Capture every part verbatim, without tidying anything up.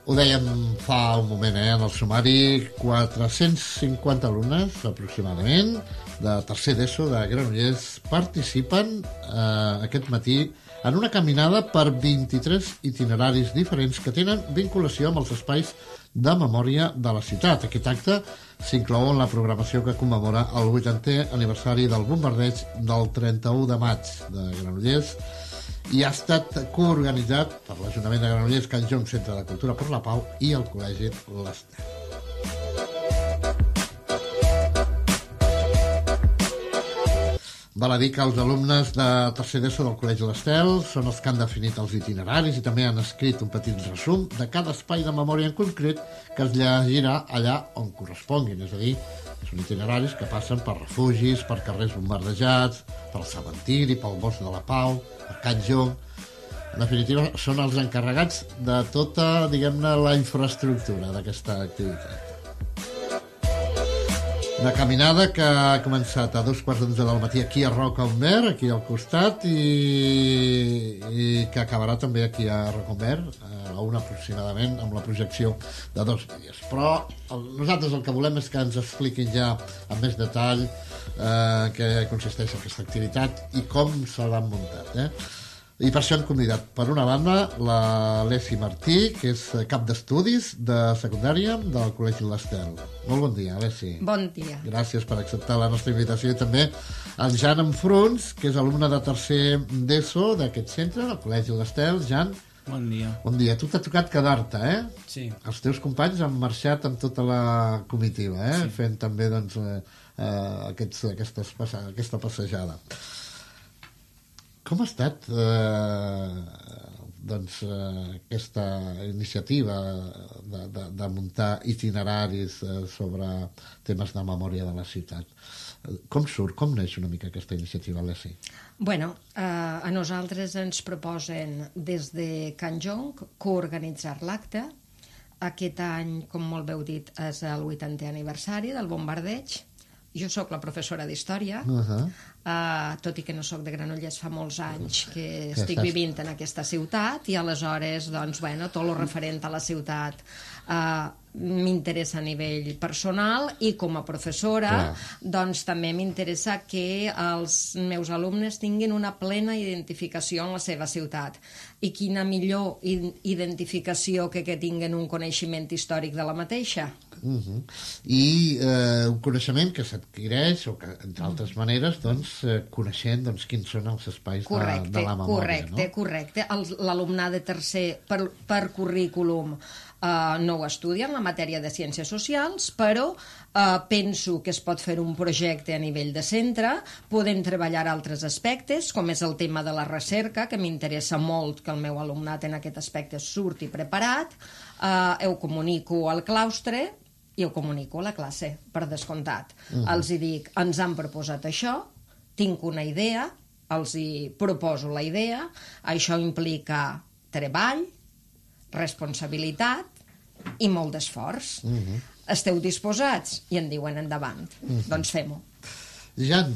Ho dèiem fa un moment, eh, en el sumari, quatre-cents cinquanta alumnes, aproximadament, de tercer d'ESO de Granollers, participen eh, aquest matí en una caminada per vint-i-tres itineraris diferents que tenen vinculació amb els espais de memòria de la ciutat. Aquest acte s'inclou en la programació que commemora el vuitantè aniversari del bombardeig del trenta-u de maig de Granollers, i ha estat coorganitzat per l'Ajuntament de Granollers, Can Jong, Centre de Cultura per la Pau i el Col·legi l'Estel. Val a dir que els alumnes de tercer d'ESO del Col·legi l'Estel són els que han definit els itineraris i també han escrit un petit resum de cada espai de memòria en concret que es llegirà allà on corresponguin, és a dir, són itineraris que passen per refugis, per carrers bombardejats, pel cementiri, pel bosc de la Pau, per Can Jong. En definitiva, són els encarregats de tota, diguem-ne, la infraestructura d'aquesta activitat. Una caminada que ha començat a dos quarts d'onze del matí aquí a Roca Humber, aquí al costat, i, i que acabarà també aquí a Roca Humber, a una aproximadament, amb la projecció de dos vídeos. Però el, nosaltres el que volem és que ens expliquin ja amb més detall eh, què consisteix aquesta activitat i com se l'han muntat, eh? I per això hem convidat, per una banda, la Lesi Martí, que és cap d'estudis de secundària del Col·legi l'Estel. Molt bon dia, Lesi. Bon dia. Gràcies per acceptar la nostra invitació. I també el Jan Enfruns, que és alumne de tercer d'ESO d'aquest centre, del Col·legi l'Estel. Jan. Bon dia. Bon dia. Tu t'ha tocat quedar-te, eh? Sí. Els teus companys han marxat amb tota la comitiva, eh? Sí. Fent també, doncs, eh, aquests, aquestes, aquesta passejada. Com ha estat eh, doncs, eh, aquesta iniciativa de, de, de muntar itineraris eh, sobre temes de memòria de la ciutat? Com surt, com neix una mica aquesta iniciativa, Lesi? Bueno, eh, a nosaltres ens proposen des de Can Jong coorganitzar l'acte. Aquest any, com molt bé heu dit, és el vuitantè aniversari del bombardeig. Jo sóc la professora d'Història, uh-huh. uh, tot i que no sóc de Granollers, fa molts anys que estic estàs... vivint en aquesta ciutat, i aleshores, doncs, bueno, tot el referent a la ciutat uh, m'interessa a nivell personal, i com a professora, clar, doncs també m'interessa que els meus alumnes tinguin una plena identificació en la seva ciutat. I quina millor identificació que que tinguin un coneixement històric de la mateixa. Uh-huh. I eh, un coneixement que s'adquireix, o que, entre altres maneres, doncs, eh, coneixent doncs, quins són els espais correcte, de, de la memòria. Correcte, no? correcte. L'alumnat de tercer, per, per currículum, eh, no ho estudia en la matèria de ciències socials, però eh, penso que es pot fer un projecte a nivell de centre, podem treballar altres aspectes, com és el tema de la recerca, que m'interessa molt que el meu alumnat en aquest aspecte surti preparat. Eh, ho comunico al claustre i ho comunico a la classe, per descomptat. Uh-huh. Els hi dic, ens han proposat això, tinc una idea, els hi proposo la idea, això implica treball, responsabilitat i molt d'esforç. Uh-huh. Esteu disposats? I en diuen endavant. Uh-huh. Doncs fem-ho. Jan,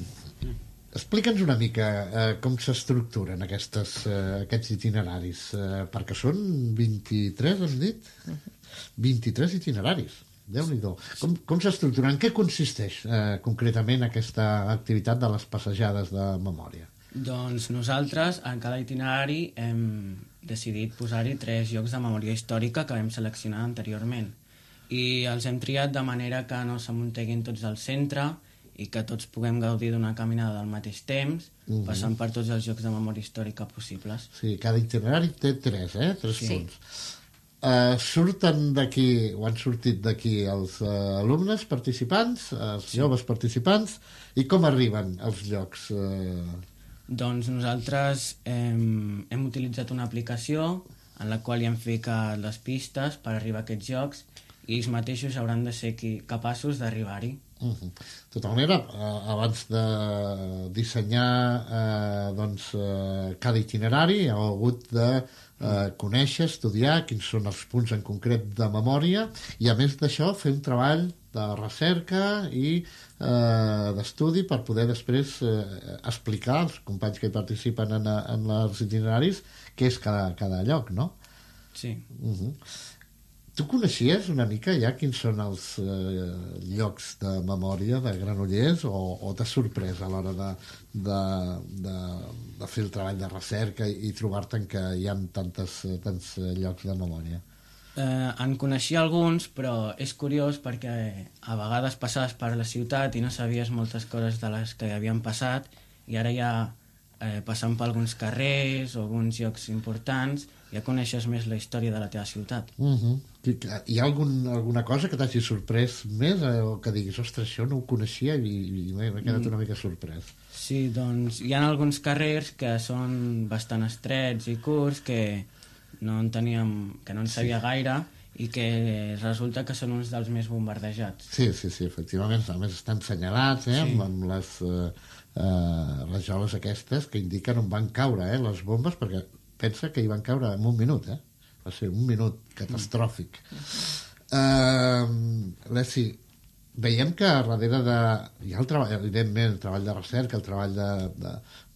explica'ns una mica eh, com s'estructuren aquestes, eh, aquests itineraris, eh, perquè són vint-i-tres, hem dit? Uh-huh. vint-i-tres itineraris. Déu-n'hi-do. Com, com s'estructuren? En què consisteix eh, concretament aquesta activitat de les passejades de memòria? Doncs nosaltres, en cada itinerari, hem decidit posar-hi tres llocs de memòria històrica que vam seleccionar anteriorment. I els hem triat de manera que no s'amunteguin tots al centre i que tots puguem gaudir d'una caminada al mateix temps, uh-huh. passant per tots els llocs de memòria històrica possibles. Sí, cada itinerari té tres, eh? Tres sí. punts. Uh, surten d'aquí, o han sortit d'aquí els uh, alumnes participants, els sí. joves participants, i com arriben als llocs? Uh... Doncs nosaltres hem, hem utilitzat una aplicació en la qual hi hem ficat les pistes per arribar a aquests llocs, i ells mateixos hauran de ser qui, capaços d'arribar-hi. Uh-huh. De tota manera, uh, abans de dissenyar uh, doncs, uh, cada itinerari, heu hagut de Uh, conèixer, estudiar quins són els punts en concret de memòria, i a més d'això fer un treball de recerca i uh, d'estudi per poder després uh, explicar als companys que hi participen en, en els itineraris què és cada, cada lloc, no? Sí. Uh-huh. Tu coneixies una mica ja quins són els eh, llocs de memòria de Granollers o, o t'has sorprès a l'hora de, de, de, de fer el treball de recerca i, i trobar-te que hi ha tantes, tants llocs de memòria? Eh, en coneixia alguns, però és curiós perquè a vegades passaves per la ciutat i no sabies moltes coses de les que havien passat i ara ja eh, passant per alguns carrers o alguns llocs importants ja coneixes més la història de la teva ciutat. Uh-huh. Hi ha algun, alguna cosa que t'hagi sorprès més eh, o que diguis, ostres, això no ho coneixia i, i m'he quedat una mica sorprès? Sí, doncs hi ha alguns carrers que són bastant estrets i curts que no en teníem, que no en sabia sí. gaire i que resulta que són uns dels més bombardejats. Sí, sí, sí, efectivament, a més estan senyalats eh, sí. amb, amb les eh, eh, rajoles aquestes que indiquen on van caure eh, les bombes, perquè pensa que hi van caure en un minut, eh? Va ser un minut catastròfic. Mm. Uh, Lessi, veiem que darrere de... Hi ha el treball, evidentment, el treball de recerca, el treball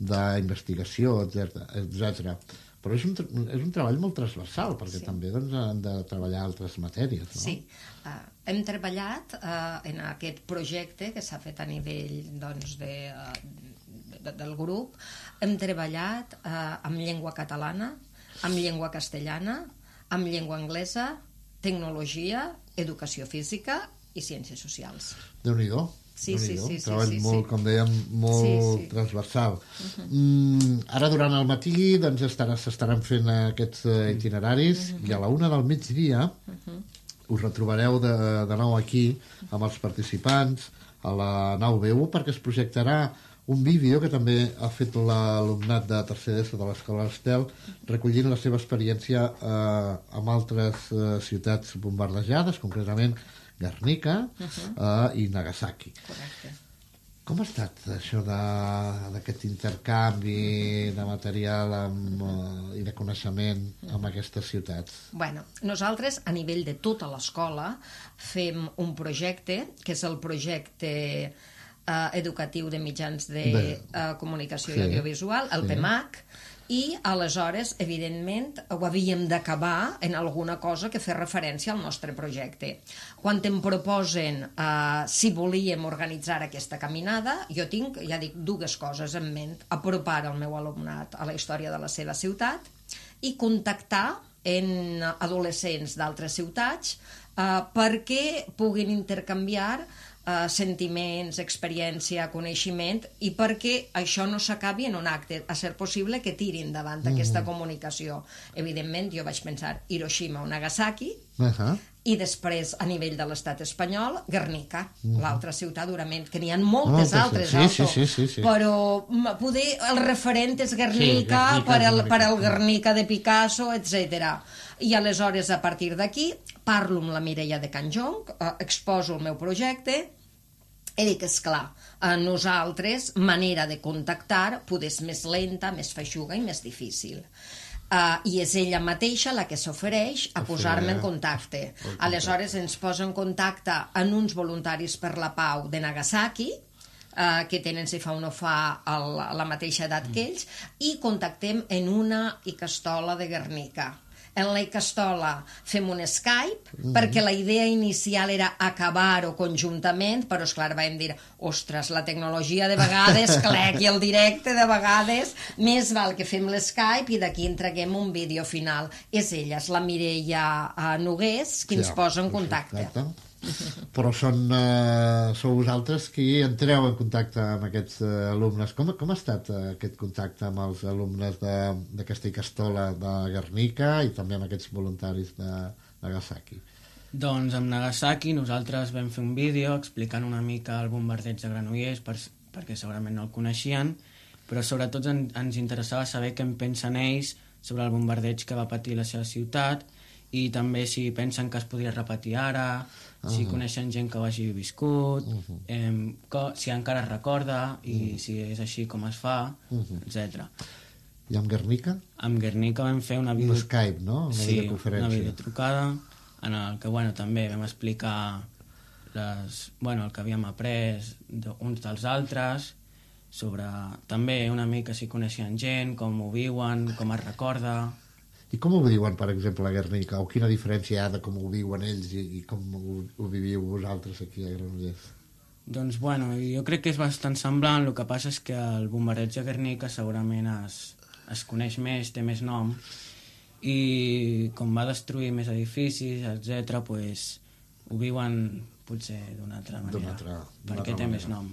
d'investigació, etcètera. Però és un, és un treball molt transversal, perquè sí. també doncs, han de treballar altres matèries, no? Sí. Uh, hem treballat uh, en aquest projecte que s'ha fet a nivell doncs, de, uh, de, del grup. Hem treballat uh, amb llengua catalana, amb llengua castellana, amb llengua anglesa, tecnologia, educació física i ciències socials. Déu-n'hi-do. Sí, sí, sí, sí, treball sí, molt, sí. com dèiem, molt sí, sí. transversal. Uh-huh. mm, ara durant el matí doncs, s'estaran fent aquests uh, itineraris uh-huh. i a la una del migdia uh-huh. us retrobareu de, de nou aquí amb els participants a la nau B u perquè es projectarà un vídeo que també ha fet l'alumnat de tercer d'ESO de l'Escola Estel recollint la seva experiència eh, amb altres eh, ciutats bombardejades, concretament Guernica uh-huh. uh, i Nagasaki. Correcte. Com ha estat això d'aquest intercanvi de material amb, uh, i de coneixement amb aquestes ciutats? Bueno, nosaltres, a nivell de tota l'escola, fem un projecte, que és el projecte uh, educatiu de mitjans de uh, comunicació sí. i audiovisual, el sí. P M A C, i aleshores, evidentment, ho havíem d'acabar en alguna cosa que fes referència al nostre projecte. Quan em proposen eh, si volíem organitzar aquesta caminada, jo tinc, ja dic, dues coses en ment. Apropar el meu alumnat a la història de la seva ciutat i contactar en adolescents d'altres ciutats eh, perquè puguin intercanviar Uh, sentiments, experiència, coneixement i perquè això no s'acabi en un acte, a ser possible que tirin davant mm. aquesta comunicació. Evidentment, jo vaig pensar Hiroshima o Nagasaki uh-huh. i després, a nivell de l'estat espanyol, Guernica, uh-huh. l'altra ciutat durament, que n'hi ha moltes oh, altres, sí, sí, sí, sí, sí. però poder, el referent és Guernica, sí, Guernica per, el, per el Guernica de Picasso, etcètera. I aleshores, a partir d'aquí, parlo amb la Mireia de Can Jonc, eh, exposo el meu projecte i dic, esclar, a nosaltres manera de contactar poder és més lenta, més feixuga i més difícil. Uh, i és ella mateixa la que s'ofereix a posar-me en contacte. Aleshores ens posa en contacte amb uns voluntaris per la pau de Nagasaki, uh, que tenen, si fa o no fa, el, la mateixa edat que ells, i contactem en una icastola de Guernica. En la Icastola fem un Skype, mm-hmm. perquè la idea inicial era acabar-ho conjuntament, però, esclar, vam dir, ostres, la tecnologia de vegades, clec, i el directe de vegades, més val que fem l'Skype i d'aquí entreguem un vídeo final. És ella, és la Mireia uh, Nogués, qui ens sí, posa en contacte. Exacte. Però són, uh, sou vosaltres qui entreu en contacte amb aquests uh, alumnes. Com, com ha estat uh, aquest contacte amb els alumnes d'aquesta Icastola de Guernica i també amb aquests voluntaris de Nagasaki? Doncs amb Nagasaki nosaltres vam fer un vídeo explicant una mica el bombardeig de Granollers per, perquè segurament no el coneixien, però sobretot en, ens interessava saber què en pensen ells sobre el bombardeig que va patir la seva ciutat i també si pensen que es podria repetir ara, uh-huh. si coneixen gent que ho hagi viscut, uh-huh. eh, co- si encara es recorda i uh-huh. si és així com es fa, uh-huh. etcètera. I amb Guernica? Amb Guernica vam fer una video... Un Skype, no? Una sí, videoconferència. una videotrucada en el que bueno, també vam explicar les, bueno, el que havíem après uns dels altres, sobre també una mica si coneixien gent, com ho viuen, com es recorda... I com ho viuen, per exemple, a Guernica? O quina diferència hi ha de com ho viuen ells i, i com ho, ho viviu vosaltres aquí a Granollers? Doncs, bueno, jo crec que és bastant semblant, el que passa és que el bombardeig de Guernica segurament es, es coneix més, té més nom, i com va destruir més edificis, etcètera, pues, ho viuen potser d'una altra manera, altra, perquè té manera. més nom.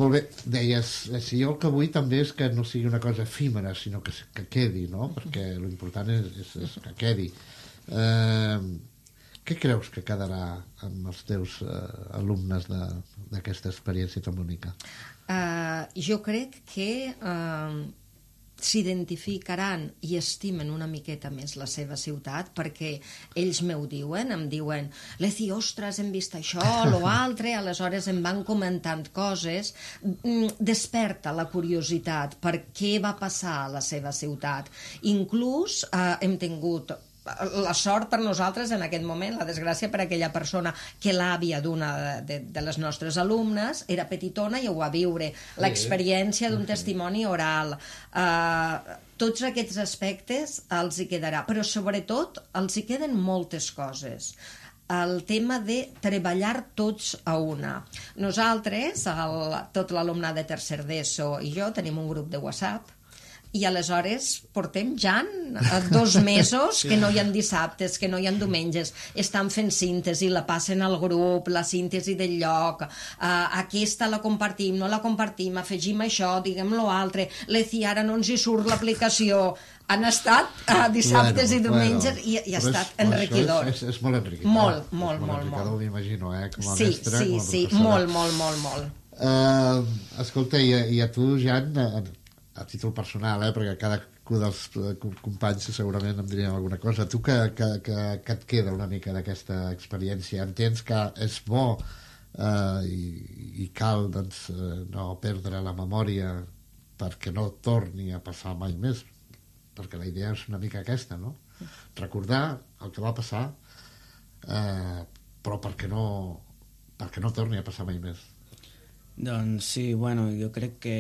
Molt bé, deies, si jo el que vull també és que no sigui una cosa efímera, sinó que, que quedi, no? Perquè l'important és, és, és que quedi. Eh, què creus que quedarà amb els teus eh, alumnes d'aquesta experiència tan bonica? Uh, jo crec que uh, s'identificaran i estimen una miqueta més la seva ciutat, perquè ells m'ho diuen, em diuen Leci, ostres, hem vist això, lo altre, aleshores em van comentant coses, desperta la curiositat per què va passar a la seva ciutat. Inclús eh, hem tingut la sort per nosaltres en aquest moment, la desgràcia per aquella persona, que l'àvia d'una de, de les nostres alumnes era petitona i ho va viure, l'experiència d'un testimoni oral. Uh, tots aquests aspectes els hi quedarà, però sobretot els hi queden moltes coses. El tema de treballar tots a una. Nosaltres, el, tot l'alumnat de tercer d'ESO i jo, tenim un grup de WhatsApp, i aleshores portem ja dos mesos que no hi ha dissabtes, que no hi ha diumenges, estan fent síntesi, la passen al grup, la síntesi del lloc, uh, aquesta la compartim, no la compartim, afegim això, diguem lo altre, Leci, ara no ens hi surt l'aplicació. Han estat uh, dissabtes bueno, i diumenges bueno, i, i ha estat és, enriquidor. És, és, és molt enriquidor. Molt, molt, és molt, molt. Enriquidor, m'imagino, eh? Com a sí, mestre, sí, com a sí, molt, molt, molt, molt. Uh, escolta, i, i a tu, Jan, a, a títol personal, eh, perquè cada dels companys segurament em dirien alguna cosa. Tu que, que, que, que et queda una mica d'aquesta experiència? Entens que és bo eh, i, i cal doncs, no perdre la memòria perquè no torni a passar mai més? Perquè la idea és una mica aquesta, no? Recordar el que va passar, eh, però perquè no, perquè no torni a passar mai més. Doncs sí, bueno, jo crec que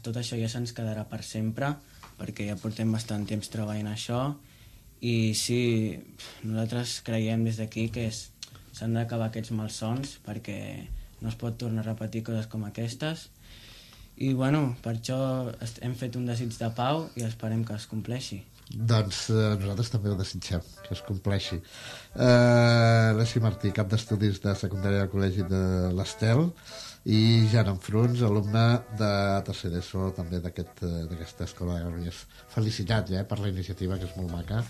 tot això ja se'ns quedarà per sempre, perquè ja portem bastant temps treballant això, i sí, nosaltres creiem des d'aquí que s'han d'acabar aquests malsons, perquè no es pot tornar a repetir coses com aquestes, i bueno, per això hem fet un desig de pau i esperem que es compleixi. Doncs eh, nosaltres també ho desitgem, que es compleixi. Eh, Leci Martí, cap d'estudis de secundària del Col·legi de l'Estel, i Jan Enfruns, alumne de tercer d'ESO també d'aquesta aquest, escola de Granollers. Felicitats eh, per la iniciativa, que és molt maca.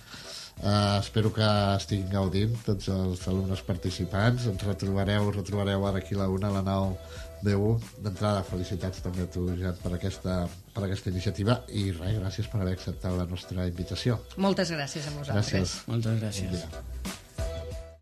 Uh, espero que estiguin gaudint tots els alumnes participants. Ens retrobareu, retrobareu ara aquí a la una, a la nau D U. D'entrada, felicitats també a tu, Jan, per aquesta, per aquesta iniciativa, i res, gràcies per haver acceptat la nostra invitació. Moltes gràcies a vosaltres. Gràcies. Moltes gràcies. Bon dia.